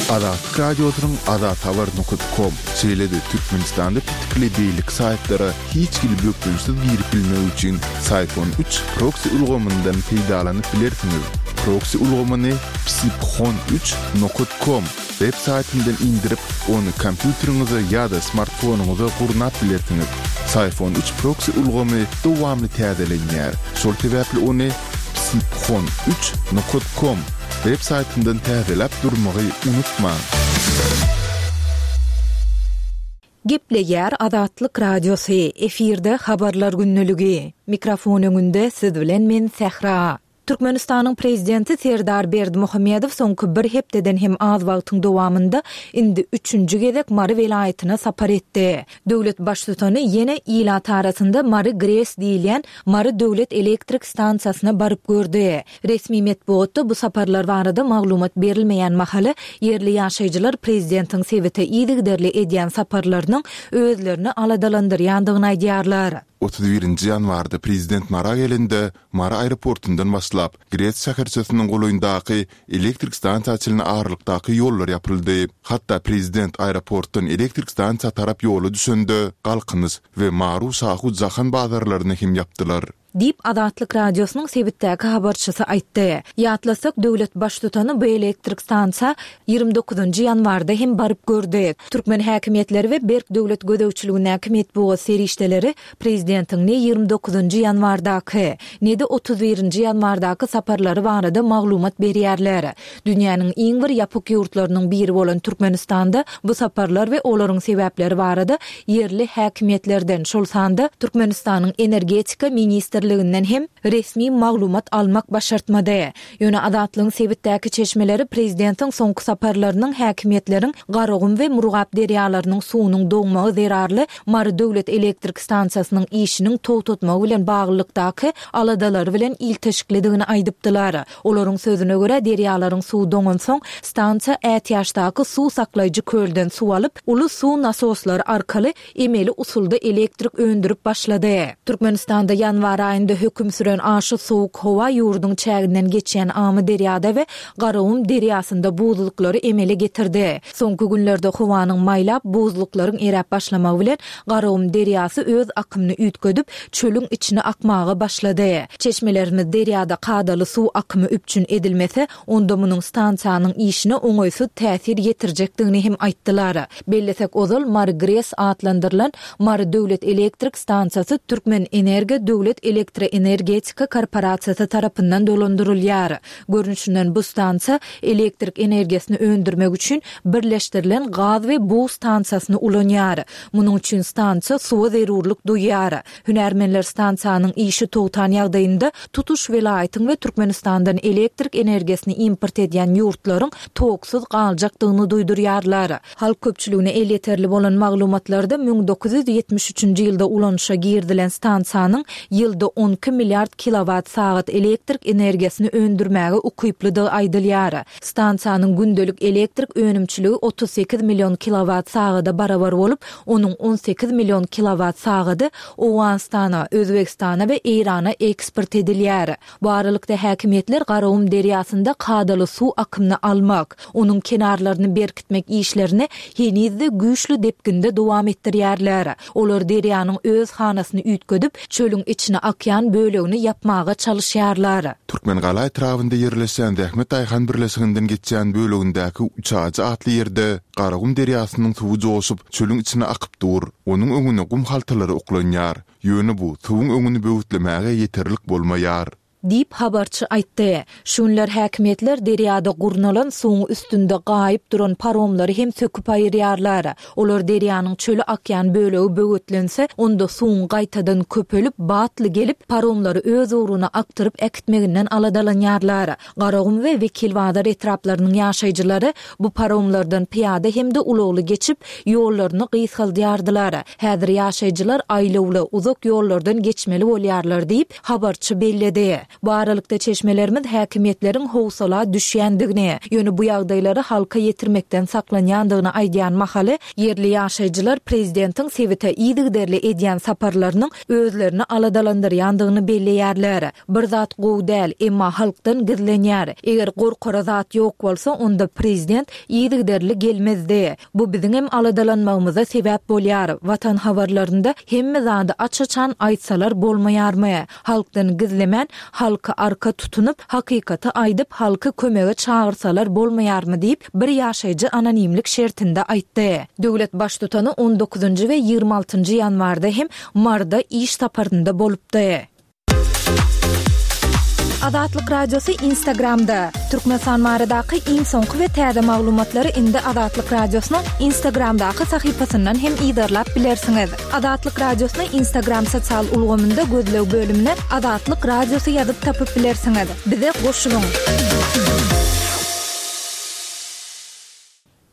Azatlyk Radiosynyň azathabar nokat kom, şeýle-de Türkmenistanda petikli beýleki saýtlara hiç hili bökdençsiz girip bilmek üçin Syphon üç proksi ulgamyndan peýdalanyp bilersiňiz. Proksi ulgamyny psiphon üç nokat kom web saýtyndan indirip, ony kompýuteriňize ýa-da smartfonyňyza gurnap bilersiňiz. Syphon üç proksi ulgamy dowamly täzelenýär, şol sebäpli ony psiphon üç nokat kom web saýtyndan täzeläp durmagy unutmaň! Gepleýär Azatlyk Radiosy, efirde Habarlar gündeligi. Mikrofon öňünde siz bilen men Sähra. Türkmenistanyň Prezidenti Serdar Berdimuhamedow soňky bir hepdeden hem az wagtyň dowamynda indi üçünji gezek Mary welaýatyna sapar etdi. Döwlet Baştutany ýene ilat arasynda Mary GRES diýilýän Mary döwlet elektrik stansiýasyna baryp gördi. Resmi metbugatda bu saparlar barada maglumat berilmeýän mahaly, ýerli ýaşaýjylar prezidentiň sebite yzygiderli edýän saparlarynyň özlerini aladalandyrýandygyny aýdýarlar. 31-nji ýanwarda prezident Mara gelende, Mary aeroportundan başlap, GRES şäherçesiniň golaýyndaky elektrik stansiýa çenli aralykdaky ýollar ýapyldy. Hatda prezident aeroportdan elektrik stansiýa tarap ýola düşende, Galkynyş we Maru-Şahu Jahan bazarlaryny hem ýapdylar. Diýip, Azatlyk Radiosynyň sebitdäki habarçysy aýtdy. Ýatlasak, döwlet Baştutany bu elektrik stansiýa 29 njy ýanwarda hem baryp gördi. Türkmen häkimiýetleri we berk döwlet gözegçiligindäki metbugat serişdeleri prezidentiň ne 29 njy ýanwardaky, ne-de 31 nji ýanwardaky saparlary barada maglumat berýärler. Dünýäniň iň bir ýapyk ýurtlarynyň biri bolan Türkmenistanda bu saparlar we olaryň sebäpleri barada ýerli häkimiýetlerden, şol sanda Türkmenistanyň Energetika ministrliginden hem resmi maglumat almak başartmady. Ýöne Azatlygyň sebitdäki çeşmeleri prezidentiň soňky saparlarynyň häkimiýetleriň Garagum we Murgap derýalarynyň suwunyň doňmagy zerarly Mary döwlet elektrik stansiýasynyň işiniň togtatmagy bilen baglylykdaky aladalary bilen ilteşiklidigini aýdypdylar. Olaryň sözüne görä, derýalaryň suwy doňansoň, stansiýa ätiýaçdaky suw saklaýjy kölden suw alyp, uly suw nasoslary arkaly emeli usulda elektrik öndürip başlady. Türkmenistanda ýanwar aýynda höküm süren aşa sowuk howa ýurduň çäginden geçýän Amyderýada we Garagum derýasynda buzluklary emele getirdi. Soňky günlerde howanyň maýlap, buzluklaryň eräp başlamagy bilen Garagum derýasy öz akymyny üýtgedip, çölüň içine akmaga başlady. Çeşmelerimiz derýada kadaly suw akymy üpjün edilmese, onda munuň stansiýanyň işine oňaýsyz täsir ýetirjekdigini hem aýtdylar. Bellesek, ozal Mary GRES atlandyrylan Mary döwlet elektrik stansiýasy Türkmenenergo döwlet elektroenergetika korporasiýasy tarapyndan dolandyrylýar. Görnüşinden bu stansiýa elektrik energiýasyny öndürmek üçin birleşdirilen gaz we bug stansiýasyny ulanýar. Munuň üçin stansiýa suwa zerurlyk duýýar. Hünärmenler stansiýanyň işi togtan ýagdaýynda tutuş welaýatyň we Türkmenistandan elektrik energiýasyny import edýän ýurtlaryň toksuz galjakdygyny duýdurýarlar. Halk köpçüligine elýeterli bolan maglumatlarda 1973-nji ýylda ulanyşa girizilen stansiýanyň ýylda 12 milliard kilowat sagat elektrik energiýasyny öndürmäge ukyplydygy aýdylýar. Stansiýanyň gündelik elektrik önümçiligi 38 million kilowat sagada barabar bolup, onuň 18 million kilowat sagady Owganystana, Özbegistana we Eýrana eksport edilýär. Bu aralykda, häkimiýetler Garagum derýasynda kadaly suw akymyny almak, onuň kenarlaryny berkitmek işlerini heniz-de güýçli depginde dowam etdirýärler. Olar derýanyň öz hanasyny üýtgedip, çölüň içine akýan bölegini ýapmaga çalyşýarlar. Türkmengala etrabynda ýerleşýän Zähmet daýhan birleşiginden geçýän bölegindäki Üçajy atly ýerde Garagum derýasynyň suwy joşup, çölüň içine akyp dur. Onuň öňüne gum haltalary oklanýar. Ýöne bu suwuň öňüni böwütlemäge ýeterlik bolmaýar. Diýip, habarçy aýtdy. Şu günler häkimiýetler derýada gurnalan suwuň üstünde gaýyp duran paromlary hem söküp aýyrýarlar. Olar derýanyň çöle akýan bölegi böwetlense, onda suwuň gaýtadan köpelip, batly gelip, paromlary öz ugruna akdyryp äkitmeginden aladalanýarlar. Garagum we Wekilbazar etraplarynyň ýaşaýjylary bu paromlardan pyýada hem-de ulagly geçip, ýollaryny gysgaldýardylar. Häzir ýaşaýjylar aýlawly, uzak ýollardan geçmeli bolýarlar diýip, habarçy belledi. Bu aralykda çeşmelerimiz häkimiýetleriň howsala düşýändigini, ýöne bu ýagdaýlary halka ýetirmekden saklanýandygyny aýdýan mahaly, ýerli ýaşaýjylar prezidentiň sebite yzygiderli edýän saparlarynyň özlerini aladalandyrýandygyny belleýärler. Bir zat gowy däl, emma halkdan gizlenýär. Eger gorkara zat ýok bolsa, onda prezident yzygiderli gelmezdi. Bu biziňem aladalanmagymyza sebäp bolýar. Watan habarlarynda hemme zady aç-açan aýtsalar bolmaýarmy? Halkdan gizlemän, halky arka tutunyp, hakykaty aýdyp, halky kömege çagyrsalar bolmaýarmy diýip, bir ýaşaýjy anonimlik şertinde aýtdy. Döwlet Baştutany on dokuzynjy we 26 njy ýanwarda hem Maryda iş saparynda bolupdy. Azatlyk Radiosy Instagramda, Türkmenistan baradaky iň soňky we täze maglumatlary indi Azatlyk Radiosynyň Instagramdaky sahypasyndan hem yzarlap bilersiňiz. Azatlyk Radiosyny Instagram sosial ulgamynda gözleg bölümine Azatlyk Radiosy ýazyp tapyp bilersiňiz. Bize goşulyň!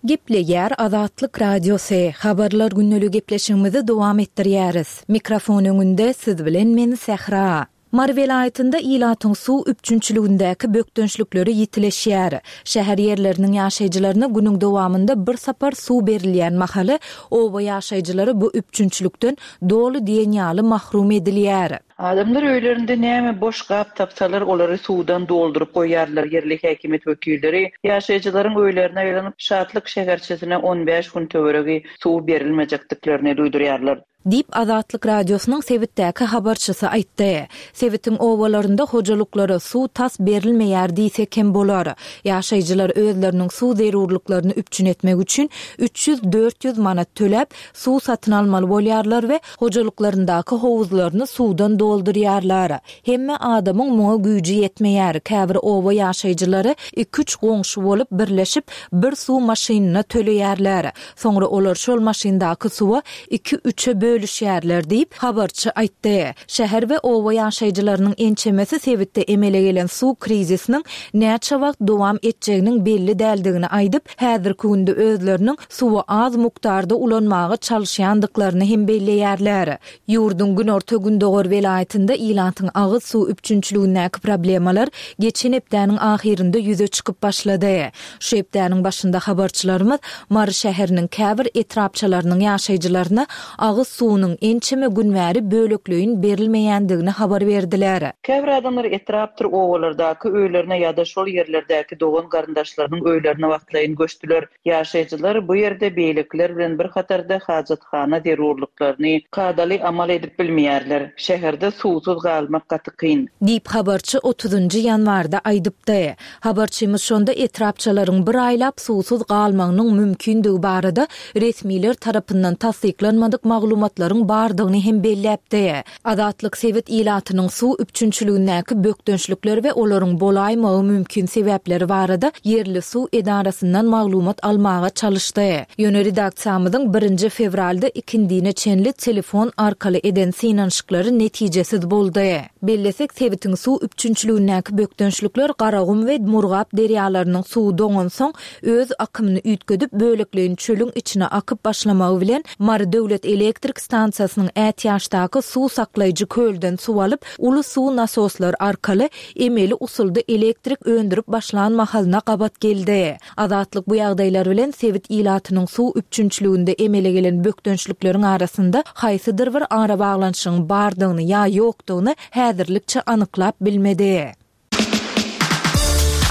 Gepleýär Azatlyk Radiosy, Habarlar gündeligi gepleşigimizi dowam etdirýäris. Mikrofon öňünde siz bilen men Sähra. Mary welaýatynda ilatyň suw üpjünçiligindäki bökdençlikleri ýitileşýär. Şäher ýerleriniň ýaşaýjylaryna günüň dowamynda bir sapar suw berilýän mahaly, oba ýaşaýjylary bu üpjünçilikden doly diýen ýaly mahrum edilýär. Adamlar öýlerinde näme boş gap tapsalar, olary suwdan dolduryp goýýarlar. Ýerli häkimiýet wekilleri ýaşaýjylaryň öýlerine aýlanyp, Şatlyk şäherçesine on bäş gün töweregi suw berilmejekdiklerini duýdurýarlar. Diýip, Azatlyk Radiosynyň sebitdäki habarçysy aýtdy. Sebitiň obalarynda hojalyklara suw tas berilmeýär diýsek hem bolar. Ýaşaýjylar özleriniň suw zerurlyklaryny üpjün etmek üçin 300-400 manat töläp, suw satyn almaly bolýarlar we hojalyklaryndaky howuzlaryny suwdan doldurýarlar. Hemme adamyň muňa güýji ýetmeýär. Käbir oba ýaşaýjylary iki-üç goňşy bolup birleşip, bir suw maşynyna töleýärler. Soňra olar şol maşyndaky suwa iki-üçe bölüşýärler diýip, habarçy aýtdy. Şäher we oba ýaşaýjylarynyň ençemesi sebitde emele gelen suw krizisiniň näçe wagt dowam etjeginiň belli däldigini aýdyp, häzirki günde özleriniň suwy az mukdarda ulanmaga çalyşýandyklaryny hem belleýärler. Ýurduň günorta-gündogar welaýatynda ilatyň agyz suw üpjünçiligindäki problemalar geçen hepdäniň ahyrynda ýüze çykyp başlady. Şu hepdäniň başynda habarçylarymyz Mary şäheriniň käbir etrapçalarynyň ýaşaýjylaryna agyz suwunyň ençeme gün bäri bölekleýin berilmeýändigini habar berdiler. Käbir adamlar etrapdyr obalardaky öýlerine ýa-da şol ýerlerdäki dogan-garyndaşlarynyň öýlerine wagtlaýyn göçdüler. Ýaşaýjylar bu ýerde beýlekiler bilen bir hatarda hajathana zerurlyklaryny kadaly amal edip bilmeýärler. Şäherde suwsuz galmak gaty kyn. Diýip, habarçy otuzynjy ýanwarda aýdypdy. Habarçymyz şonda etrapçalaryň bir aýlap suwsuz galmagynyň mümkindigi barada resmiler tarapyndan tassyklanmadyk maglumatlaryň bardygyny hem belläpdi. Azatlyk sebit ilatynyň suw üpjünçiligindäki bökdençlikler we olaryň bolaýmagy mümkin sebäpleri barada ýerli suw edarasyndan maglumat almaga çalyşdy. Ýöne redaksiýamyzyň birinji fewralda ikindine çenli telefon arkaly eden synanyşyklary netijesiz boldy. Bellesek, sebitiň suw üpjünçiligindäki bökdençlikler Garagum we Murgap derýalarynyň suwy doňansoň, öz akymyny üýtgedip, bölekleýin çölüň içine akyp başlamagy bilen, Mary döwlet elektrik stansiýasynyň ätiýaçdaky suw saklaýjy kölden suw alyp, uly suw nasoslary arkaly emeli usulda elektrik öndürip başlan mahalyna gabat geldi. Azatlyk bu ýagdaýlar bilen sebit ilatynyň suw üpjünçiliginde emele gelen bökdençlikleriň arasynda haýsydyr bir arabaglanyşygyň bardygyny ýa ýokdugyny häzirlikçe anyklap bilmedi.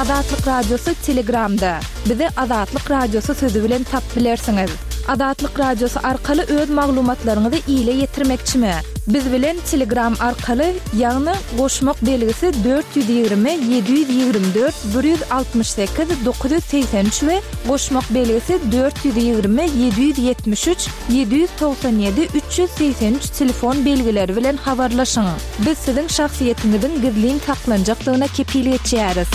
Azatlyk Radiosy Telegramda. Bizi Azatlyk Radiosy sözi bilen tapyp bilersiňiz. Azatlyk Radiosy arkaly öz maglumatlaryňyzy ile ýetirmekçimi? Biz bilen Telegram arkaly, ýagny goşmak belgisi 420 724 168 983 we goşmak belgisi 420 773 797 383 telefon belgileri bilen habarlaşyň. Biz siziň şahsyýetiňiziň gizlin saklanjakdygyna kepil geçýäris.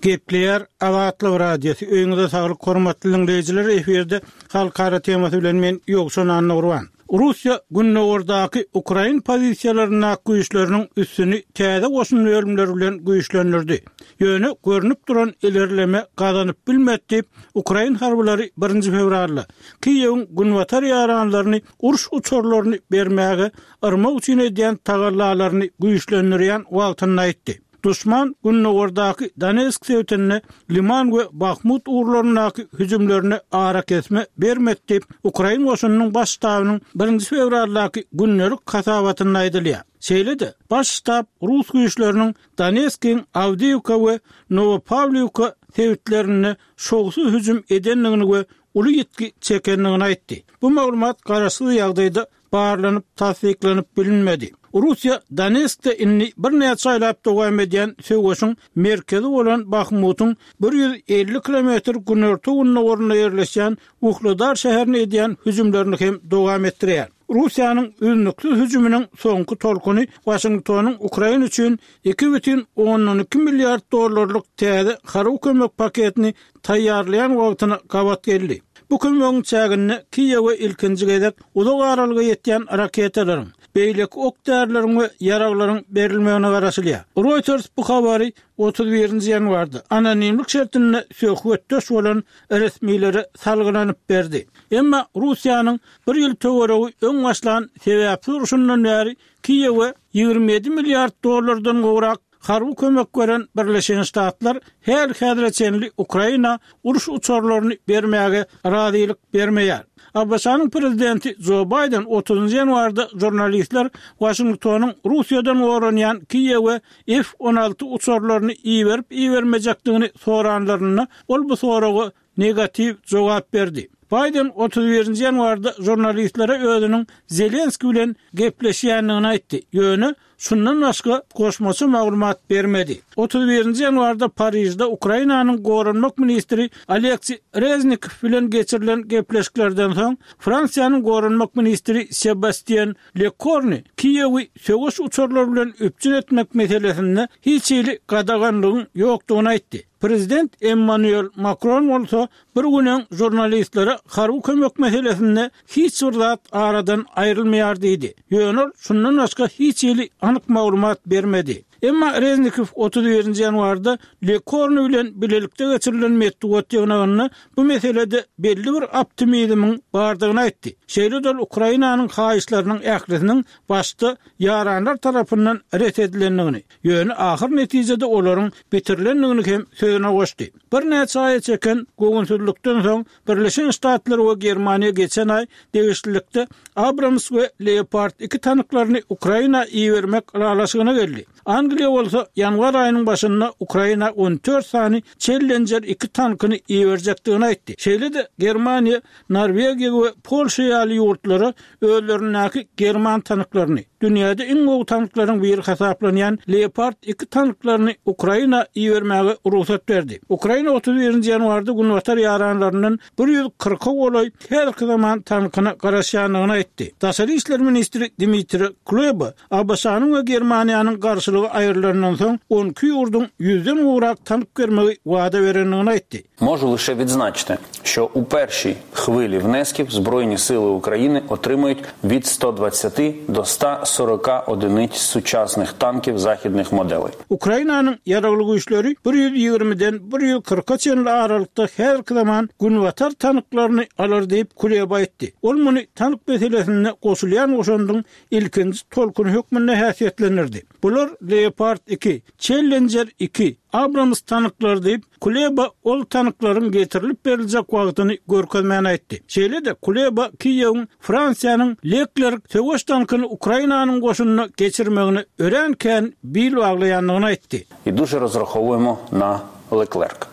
Gepleýär Azatlyk Radiosy, Öýüňize saglyk hormatly diňleýjiler, efirde Halkara temasy bilen men Ýowşan Annagurban. Russiýa gündogardaky ukrain pozisiýalaryndaky güýçleriniň üstüni täze goşun bölümleri bilen güýçlendirdi. Ýöne görnüp duran ilerleme gazanyp bilmedi diýip, ukrain harbylary birinji fewralda Kiýewiň günbatar ýaranlaryny uruş uçarlaryny bermäge yrmak üçin edýän tagallalaryny güýçlendirýän wagtynda aýtdy. Duşman gündogardaky Donetsk sebitinde Liman we Bahmut ugurlaryndaky hüjümlerine arakesme bermedi diýip, ukrain goşunynyň baş ştabynyň birinji fewraldaky gündelik hasabatynda aýdylýar. Şeýle-de, baş ştab rus güýçleriniň Donetskiň Awdiýewka we Nowopawliwka sebitlerinde şowsuz hüjüm edendigini we uly ýitgi çekendigini aýtdy. Bu maglumat garaşsyz ýagdaýda barlanyp tassyklanyp bilinmedi. Russiýa Donetskde indi birnäçe aýlap dowam edýän söweşiň merkezi bolan Bahmutyň 150 kilometr günorta-gündogarynda ýerleşýän Uhledar şäherine edýän hüjümlerini hem dowam etdirýär. Russiýanyň üznüksiz hüjüminiň soňky tolkuny Waşingtonyň Ukraina üçin 2,2 milliard dollarlyk täze harby kömek paketini taýýarlaýan wagtyna gabat geldi. Bu kömegiň çäginde Kiýewe ilkinji gezek uzak aralyga ýetýän raketalaryň, beýleki ok-därileriň we ýaraglaryň berilmegine garaşylýar. Reuters bu habary 31-nji ýanwarda anonimlik şertinde söhbetdeş bolan resmilere salgylanyp berdi. Emma Russiýanyň bir ýyl töweregi öň başlan sebäpsiz urşundan bäri Kiýewe 27 milliard dollardan gowrak Harby kömek beren Birleşen Ştatlar häli-häzire çenli Ukraina uruş uçarlaryny bermäge razylyk bermeýär. ABŞ-nyň prezidenti Jo Baýden otuzynjy ýanwarda žurnalistler Waşingtonyň Russiýadan goranýan Kiýewe F 16 uçarlaryny iberip-ibermejekdigini soranlarynda, ol bu soraga negatiw jogap berdi. Baýden 31-nji ýanwarda žurnalistlere özüniň Zelenskiý bilen gepleşýändigini aýtdy, ýöne şundan başga goşmaça maglumat bermedi. 31-nji ýanwarda Parižde Ukrainanyň goranmak ministri Oleksiý Reznikow bilen geçirilen gepleşiklerden soň, Fransiýanyň goranmak ministri Sebastien Lekorni Kiýewi söweş uçarlary bilen üpjün etmek meselesinde hiç hili gadaganlygyň ýokdugyny aýtdy. Prezident Emmanuel Makron bolsa bir gün öň žurnalistlere harby kömek meselesinde hiç bir zat aradan aýrylmaýar diýdi. Ýöne ol şundan başga hiç hili anyk maglumat bermedi. Emma Reznikow 31-nji ýanwarda Lekorni bilen bilelikde geçirilen metbugat ýygnagynda bu meselede belli bir optimizmiň bardygyny aýtdy. Şeýle-de ol Ukrainanyň haýyşlarynyň ählisiniň başda ýaranlar tarapyndan ret edilendigini, Ýöne ahyr netijede olaryň bitirilendigini hem sözüne goşdy. Birnäçe aýa çeken göwünsizlikden soň Birleşen Ştatlar we Germaniýa geçen aý degişlilikde Abrams we Leopard iki tanklaryny Ukraina ibermek ylalaşygyna geldi. Angliýa bolsa ýanwar aýynyň başynda Ukraina 14 sany Challenger iki tankyny iberjekdigini aýtdy. Şeýle-de Germaniýa Norwegiýa we Polşa ýaly ýurtlara özlerindäki german tanklaryny, dünýäde iň gowy tanklaryň biri hasaplanýan Leopard iki tanklaryny Ukraina ibermäge rugsat berdi. Ukraina 31-nji ýanwarda günbatar ýaranlaryndan 140-a golaý häzirki zaman tankyna garaşýandygyny aýtdy. Daşary işler ministri Dmitriý Kuleba ABŞ-nyň we Germaniýanyň garşylygy aýrylandan soň 12 ýurduň ýüzden gowrak tank bermegi wada berendigini aýtdy. Можу лише відзначити, що у першій хвилі внесків Збройні сили України отримають від 120 до 140 одиниць сучасних танків західних моделей. Ukrainanyň Ýaragly Güýçleri bir ýüz ýigrimiden bir ýüz kyrka çenli aralykda häzirki zaman Günbatar tanklaryny alar diýip, Kuleba aýtdy. Ol muny tank meselesinde goşulýan goşandyň ilkinji tolkuny hökmünde häsiýetlendirdi. Bular Leopard iki, Challenger iki, Abrams tanklary diýip, Kuleba ol tanklaryň getirilip beriljek wagtyny görkezmän aýtdy. Şeýle-de, Kuleba Kiýewiň Fransiýanyň Leclerc söweş tankyny Ukrainanyň goşunyna geçirmegine örän kän bil baglaýandygyny aýtdy. І дуже розраховуємо на Leclerc.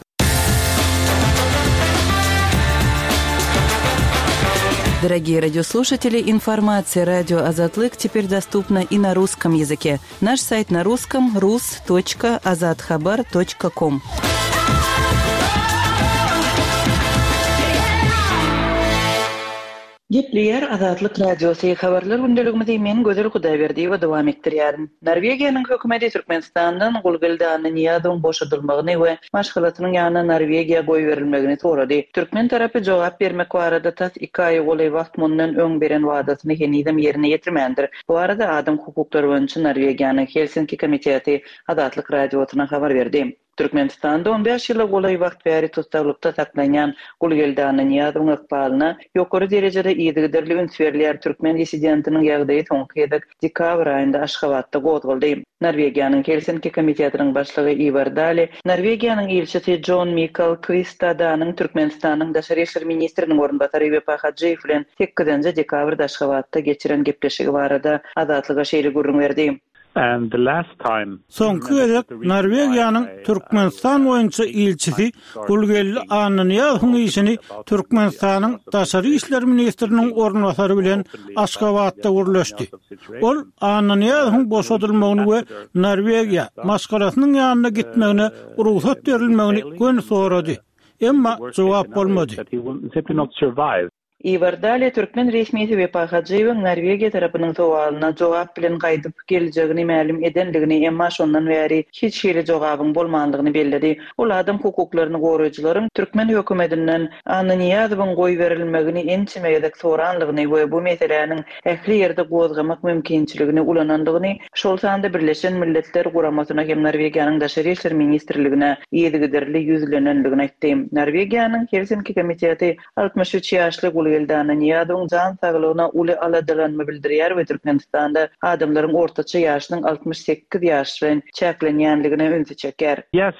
Дорогие радиослушатели, информация радио Азатлык теперь доступна и на русском языке. Наш сайт на русском rus.azathabar.com. Gepleýär Azatlyk Radiosy, Habarlar gündeligimizi men Gözel Hudaýberdiýewa dowam etdirýärin. Norwegiýanyň hökümeti Türkmenistandan Gulgeldi Annanyýazowyň boşadylmagyny we maşgalasynyň ýanyna Norwegiýa goýberilmegini sorady. Türkmen tarapy jogap bermek barada tas iki aýa golaý wagt mundan öň beren wadasyny henizem ýerine ýetirmändir. Bu barada Adam hukuklary boýunça Norwegiýanyň Helsinki komiteti Azatlyk Radiosyna habar berdi. Türkmenistanda on bäş ýyla golaý wagt bäri tussaglykda saklanýan Gulgeldi Annanyýazowyň ykbalyna ýokary derejede yzygiderli üns berilýär. Türkmen dissidentiniň ýagdaýy soňky gezek dekabr aýynda Aşgabatda gozgaldy. Norwegiýanyň Helsinki komitetiniň başlygy Iwar Dali, Norwegiýanyň ilçisi Jon Mikal Kwistadanyň Türkmenistanyň daşary işler ministriniň orunbasary Wepa Hajyýew bilen sekizinji dekabrda Aşgabatda geçiren gepleşigi barada Azatlyga şeýle gürrüň berdi. Soňky gezek Norwegiýanyň Türkmenistan boýunça ilçisi Gulgeldi Annanyýazowyň işini Türkmenistanyň daşary işler ministriniň orunbasary bilen Aşgabatda gürleşdi. Ol Annanyýazowyň boşadylmagyny we Norwegiýa, maşgalasynyň ýanyna gitmegine rugsat berilmegini göni sorady. Emma jogap bolmady. Iwar Dale türkmen resmisi Wepa Hajyýewiň Norwegiýa tarapynyň sowalyna jogap bilen gaýdyp geljegini mälim edendigini, emma şondan bäri hiç hili jogabyň bolmandygyny belledi. Ol adam hukuklaryny goraýjylaryň türkmen hökümetinden Annanyýazowyň goýberilmegini ençeme gezek soranlygyny we bu meseläniň ähli ýerde gozgamak mümkinçiligini ulanandygyny, şol sanda Birleşen Milletler Guramasyna hem Norwegiýanyň Daşary işler ministrligine yzygiderli ýüzlenendigini aýtdy. Norwegiýanyň Helsinki komiteti 63 ýaşly Gulgeldi Annanyýazowyň jan saglygyna uly aladalanma bildirýär we Türkmenistanda adamlaryň ortaça ýaşynyň 68 ýaş bilen çäklenýänligine ünsi çekýär. Yes,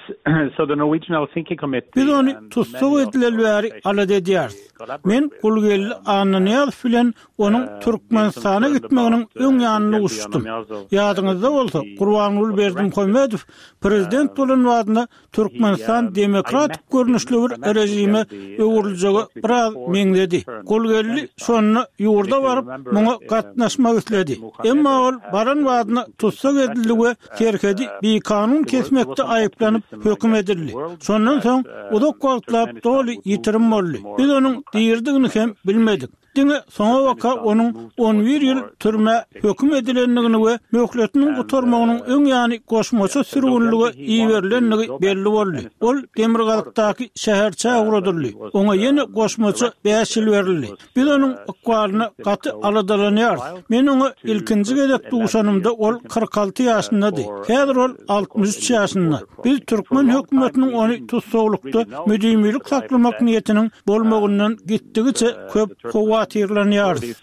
so the Norwegian Helsinki Committee Biz ony tussag edileli bäri alada edýäris. Men Gulgeldi Annanyýazow bilen onuň Türkmenistana gitmeginiň öň ýanynda duşuşdym. Ýadyňyzda bolsa, Gurbanguly Berdimuhamedow prezident bolan badyna Türkmenistan demokratik görnüşli bir režime öwrüljege biraz meňzedi. Gulgeldi şonda ýurda baryp, muňa gatnaşmak isledi. Emma ol baran badyna tussag edildi we serhedi bikanun kesmekde aýyplanyp höküm edildi. Şondan soň uzak wagtlap doly ýitirim boldy. Biz onuň diridigini hem bilmedik. Diňe soňabaka onuň on bir ýyl türmä höküm edilendigini we möhletiniň gutarmagynyň öň ýany goşmaça sürgünlige iberilendigi belli boldy. Ol demirgazykdaky şäherçä ugradyldy. Oňa ýene goşmaça bäş ýyl berildi. Biz onuň ykbalyna gaty aladalanýarys. Men oňa ilkinji gezek duşanymda ol 46 ýaşyndady. Häzir ol 63 ýaşynda. Biz türkmen hökümetiniň ony tussaglykda müdimilik saklamak niýetiniň bolmagyndan gitdigiçe köp howatyrlanýarys.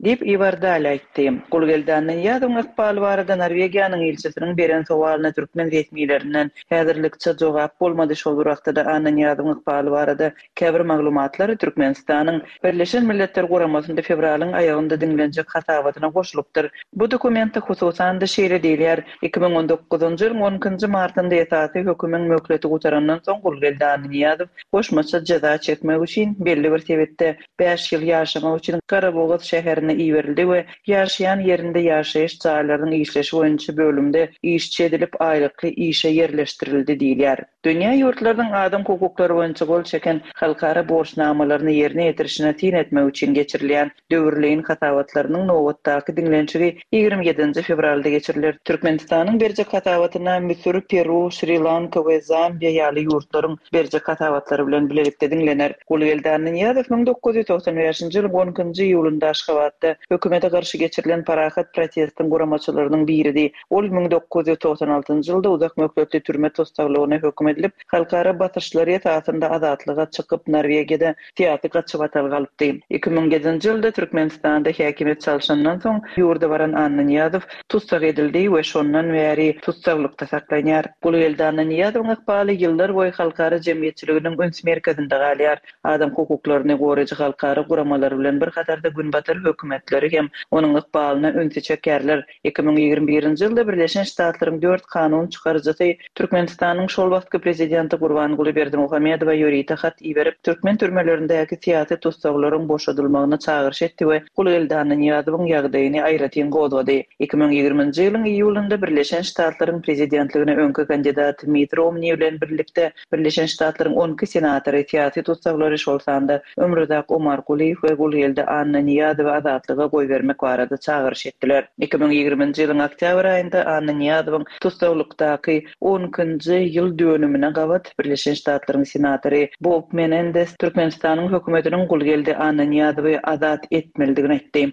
Diýip, Iwar Dal aýtdy. Gulgeldi Annanyýazowyň ykbaly barada Norwegiýanyň ilçisiniň beren sowalyna türkmen resmilerinden häzirlikçe jogap bolmady. Şol bir wagtda-da Annanyýazowyň ykbaly barada Käbir maglumatlar Türkmenistanyň Birleşen Milletler Guramasynda fewralyň aýagynda diňlenjek hasabatyna goşulypdyr. Bu dokumentde hususan-da şeýle diýilýär, 2019-njy ýylyň on ikinji martynda esasy hökümiň möhleti gutarandan soň Gulgeldi Annanyýazow goşmaça jeza çekmek üçin belli bir sebitde bäş ýyl ýaşamak üçin Garabogaz şäherine iberildi we ýaşaýan ýerinde ýaşaýyş jaýlarynyň işleşi boýunça bölümde işçi edilip aýlykly işe ýerleşdirildi diýilýär. Dünýä ýurtlarynyň adam hukuklary boýunça gol çeken halkara borçnamalaryny ýerine ýetirişine syn etmek üçin geçirilýän döwürleýin hasabatlarynyň nobatdaky diňlenişigi 27-nji fewralda geçiriler. Türkmenistanyň berjek hasabatyna Müsür, Peru, Şri-Lanka we Zambiýa ýaly ýurtlaryň berjek hasabatlary bilen bilelikde diňlener. Gulgeldi Annanyýazow 1995-nji ýylyň on ikinji iýulynda Aşgabatda hökümete garşy geçirilen parahat protestiň guramaçylarynyň biridi. Ol 1996 njy ýylda uzak möhletli türme tussaglygyna höküm edilip, halkara basyşlary esasynda azatlyga çykyp, Norwegiýada syýasy gaçybatalga alypdy. 2007 nji ýylda Türkmenistanda häkimiýet çalşandan soň, ýurda baran Annanyýazow tussag edildi we şondan bäri tussaglykda saklanýar. Gulgeldi Annanyýazowyň ykbaly ýyllar boýy halkara jemgyýetçiliginiň üns merkezinde galýar. Adam hukuklaryny goraýjy halkara guramalary bilen bir hatarda günbatar höküm. hökümetleri hem onuň ykbalyna ünsi çekýärler. 2021-nji ýylda Birleşen Ştatlaryň dört kanun çykaryjysy Türkmenistanyň şol wagtky prezidenti Gurbanguly Berdimuhamedowa ýörite hat iberip, türkmen türmelerindäki syýasy tussaglaryň boşadylmagyna çagyryş etdi we Gulgeldi Annanyýazowyň ýagdaýyny aýratyn gozgady. 2020-nji ýylyň iýulynda Birleşen Ştatlaryň prezidentligine öňki kandidat Mitt Romni bilen birlikde Birleşen Ştatlaryň 12 senatory syýasy tussaglary, şol sanda Ömruzak Omargulyýew we Gulgeldi Annanyýazowy azatlyga goýbermek barada çagyryş etdiler. 2020-nji ýylyň oktýabr aýynda Annanyýazowyň tussaglykdaky on ikinji ýyl dönümine gabat Birleşen Ştatlaryň senatory Bob Menendez Türkmenistanyň hökümetiniň Gulgeldi Annanyýazowy azat etmelidigini aýtdy.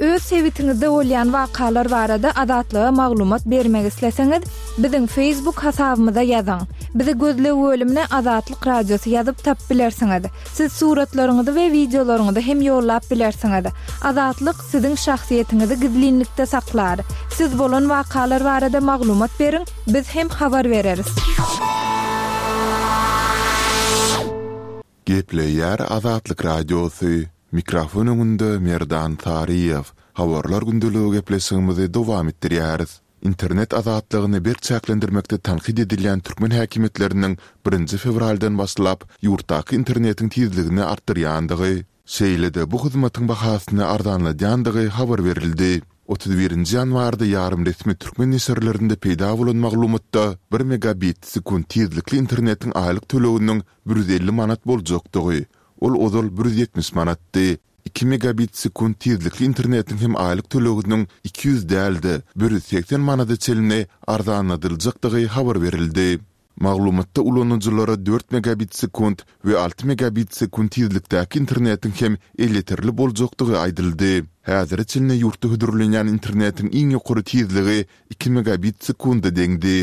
Öz sebitiňizde bolýan wakalar barada Azatlyga maglumat bermek isleseňiz, biziň Facebook hasabymyza ýazyň. Bizi gözleg bölümine Azatlyk Radiosy ýazyp tapyp bilersiňiz. Siz suratlaryňyzy we wideolaryňyzy hem ýollap bilersiňiz. Azatlyk siziň şahsyýetiňizi gizlinlikde saklar. Siz bolan wakalar barada maglumat beriň, biz hem habar bereris. Gepleýär Azatlyk Radiosy, Mikrofon öňünde Merdan Saryýew. Habarlar gündeligi gepleşigimizi dowam etdirýäris. Internet azatlygyny berk çäklendirmekde tankyt edilýän türkmen häkimiýetleriniň birinji fewraldan başlap ýurtdaky internetiň tizligini artdyrýandygy, şeýle-de bu hyzmatyň bahasyny arzanladýandygy habar berildi. 31 nji ýanwarda ýarym resmi türkmen neşirlerinde peýda bolan maglumatda bir megabit sekunt tizlikli internetiň aýlyk töleginiň 150 manat boljakdygy, ol ozal 170 manatdy, Iki megabit sekunt tizlikli internetiň hem aýlyk töleginiň 200 däl-de, 180 manada çenli arzanladyljakdygy habar berildi. Maglumatda ulanyjylara dört megabit sekunt we alty megabit sekunt tizlikdäki internetiň hem elýeterli boljakdygy aýdyldy. Häzire çenli ýurtda hödürlenýän internetiň iň ýokary tizligi iki megabit sekunda deňdi.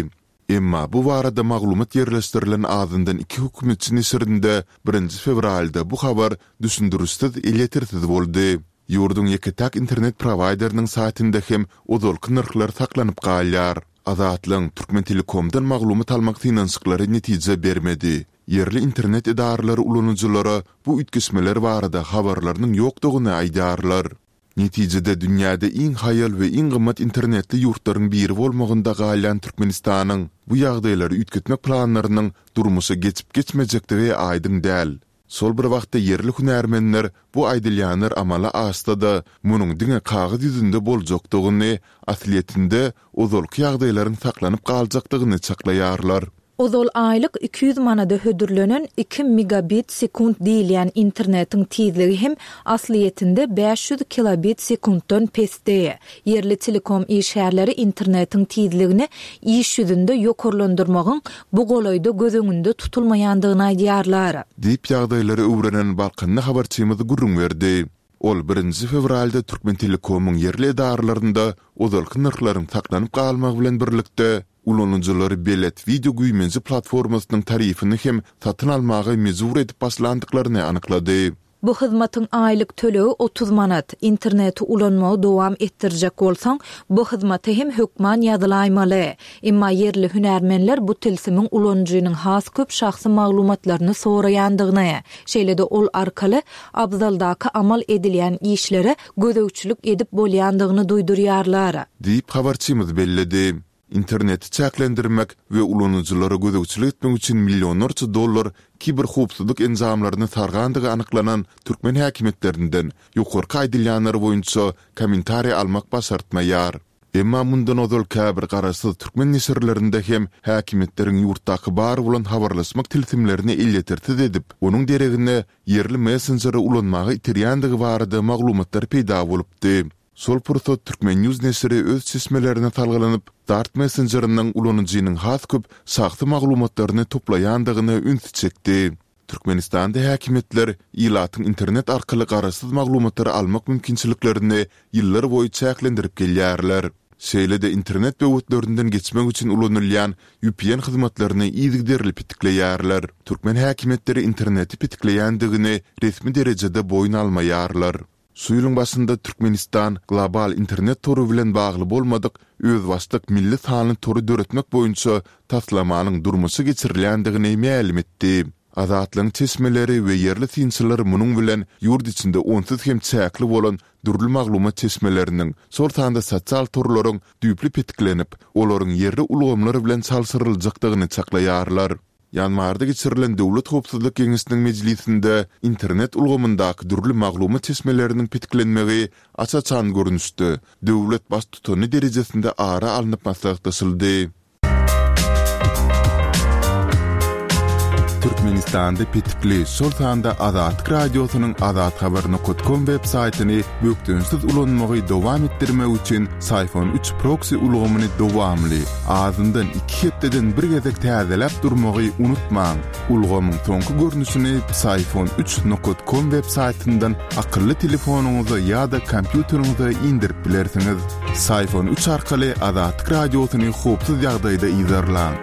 Emma bu barada maglumat ýerleşdirilen azyndan iki hökümetçi neşirinde birinji fewralda bu habar düşündirişsiz elýetersiz boldy. Ýurduň ýeke-täk internet prowaýderiniň saýtynda hem ozalky nyrhlar saklanyp galýar. Azatlygyň Türkmentelekomdan maglumat almak synanyşyklary netije bermedi. Ýerli internet edaralary ulanyjylara bu üýtgeşmeler barada habarlarynyň ýokdugyny aýdýarlar. Netijede dünýäde iň haýal we iň gymmat internetli ýurtlaryň biri bolmagynda galýan Türkmenistanyň bu ýagdaýlary üýtgetmek planlarynyň durmuşa geçip-geçmejekdigi aýdyň däl. Şol bir wagtda ýerli hünärmenler bu aýdylýanlar amala aşsa-da, munuň diňe kagyz ýüzünde boljakdygyny, aslyýetinde ozalky ýagdaýlaryň saklanyp galjakdygyny çaklaýarlar. Ozal aýlyk 200 manada hödürlenen iki megabit sekunt diýilýän internetiň tizligi hem aslyýetinde 500 kilobit sekuntdan pesdi. Ýerli telekom işgärleri internetiň tizligini iş ýüzünde ýokarlandyrmagyň bu golaýda göz öňünde tutulmaýandygyny aýdýarlar. Diýip, ýagdaýlary öwrenen balkanly habarçymyz gürrüň berdi. Ol birinji fewralda Türkmentelekomyň ýerli edaralarynda ozalky nyrhlaryň saklanyp galmagy bilen birlikde, ulanyjylary Belet wideo güýmenje platformasynyň tarifini hem satyn almaga mejbur edip başlandyklaryny anyklady. Bu hyzmatyň aýlyk tölegi 30 manat. Interneti ulanmagy dowam etdirjek bolsaň, bu hyzmata hem hökman ýazylaýmaly. Emma ýerli hünärmenler bu tilsimiň ulanyjynyň has köp şahsy maglumatlaryny soraýandygyny, şeýle-de ol arkaly abzaldaky amal edilýän işlere gözegçilik edip bolýandygyny duýdurýarlar. Diýip, habarçymyz belledi. Interneti çäklendirmek we ulanyjylara gözegçilik etmek üçin millionlarça dollar kiberhowpsuzlyk enjamlaryny sargandygy anyklanan türkmen häkimiýetlerinden ýokarky aýdylýanlar boýunça kommentariý almak başartmaýar. Emma mundan ozal käbir garaşsyz türkmen neşirlerinde hem häkimiýetleriň ýurtdaky bar bolan habarlaşmak tilsimlerini elýetersiz edip, onuň deregine ýerli messenjeri ulanmaga iterýändigi barada maglumatlar peýda bolupdy. Şol pursat Turkmen. News neşiri öz çeşmelerine salgylanyp, Dart messenjeriniň ulanyjynyň has köp şahsy maglumatlaryny toplaýandygyna ünsi çekdi. Türkmenistanda häkimiýetler ilatyň internet arkaly garaşsyz maglumatlary almak mümkinçiliklerini ýyllar boýy çäklendirip gelýärler. Şeýle-de internet böwetlerinden geçmek üçin ulanylýan vpn hyzmatlaryny yzygiderli petikleýärler. Türkmen häkimiýetleri interneti petikleýändigini resmi derejede boýun almaýarlar. Şu ýylyň başynda Türkmenistan global internet tory bilen bagly bolmadyk özbaşdak milli sanly tory döretmek boýunça taslamanyň durmuşa geçirilýändigini mälim etdi. Azatlygyň çeşmeleri we ýerli synçylar munuň bilen ýurt içinde onsuz hem çäkli bolan dürli maglumat çeşmeleriniň, şol sanda sosial torlaryň düýpli petiklenip, olaryň ýerli ulgamlar bilen çalşyryljakdygyny çaklaýarlar. Ýanwarda geçirilen Döwlet howpsuzlyk geňeşiniň mejlisinde internet ulgamyndaky dürli maglumat çeşmeleriniň petiklenmegi aç-açan görnüşde döwlet Baştutany derejesinde ara alnyp maslahatlaşyldy. Türkmenistanda petikli, şol sanda Azatlyk Radiosynyň azathabar nokat kom web saýtyny bökdençsiz ulanmagy dowam etdirmek üçin Syfon üç proksi ulgamyny dowamly, azyndan iki hepdeden bir gezek täzeläp durmagy unutmaň. Ulgamyň soňky görnüşini Psiphon üç nokat kom web saýtyndan akylly telefonyňyza ýa-da kompýuteriňize indirip bilersiňiz. Psiphon üç arkaly Azatlyk Radiosyny howpsuz ýagdaýda yzarlaň.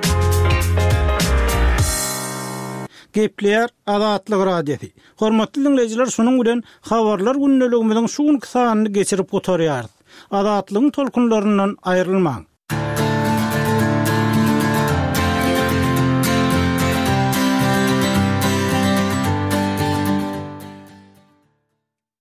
Gepleýär Azatlyk Radiosy. Hormatly diňleýjiler şunuň bilen Habarlar gündeligimiziň şu günki sanyny geçirip gutarýarys. Azatlygyň tolkunlaryndan aýrylmaň.